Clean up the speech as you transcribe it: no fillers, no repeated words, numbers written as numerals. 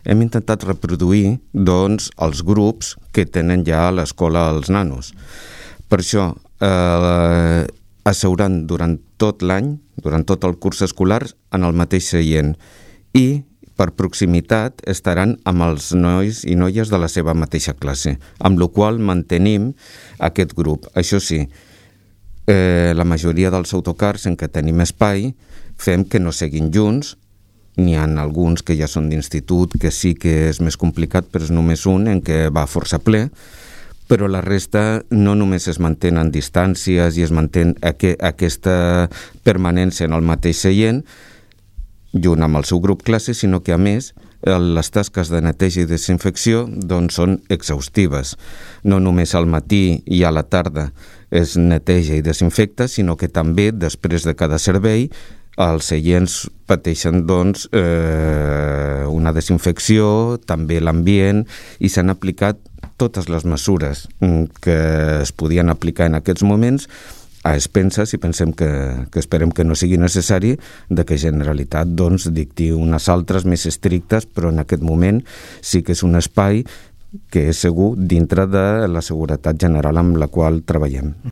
hem intentat reproduir doncs, els grups que tenen ja a l'escola els nanos. Per això asseuran durant tot l'any, durant tot el curs escolar, en el mateix seient i per proximitat estaran amb els nois i noies de la seva mateixa classe, amb la qual mantenim aquest grup. Això sí, la majoria dels autocars en què tenim espai fem que no seguin junts. N'hi ha alguns que ja són d'institut, que sí que és més complicat, però és només un en què va força ple, però la resta no només es mantenen distàncies i es mantén aquesta permanència en el mateix seient, junt amb el seu grup classe, sinó que a més les tasques de neteja i desinfecció doncs, són exhaustives. No només al matí i a la tarda es neteja i desinfecta, sinó que també després de cada servei els seients pateixen doncs, una desinfecció, també l'ambient, i s'han aplicat totes les mesures que es podien aplicar en aquests moments a expenses, i pensem que esperem que no sigui necessari de que Generalitat doncs, dicti unes altres més estrictes, però en aquest moment sí que és un espai que és segur dintre de la seguretat general amb la qual treballem.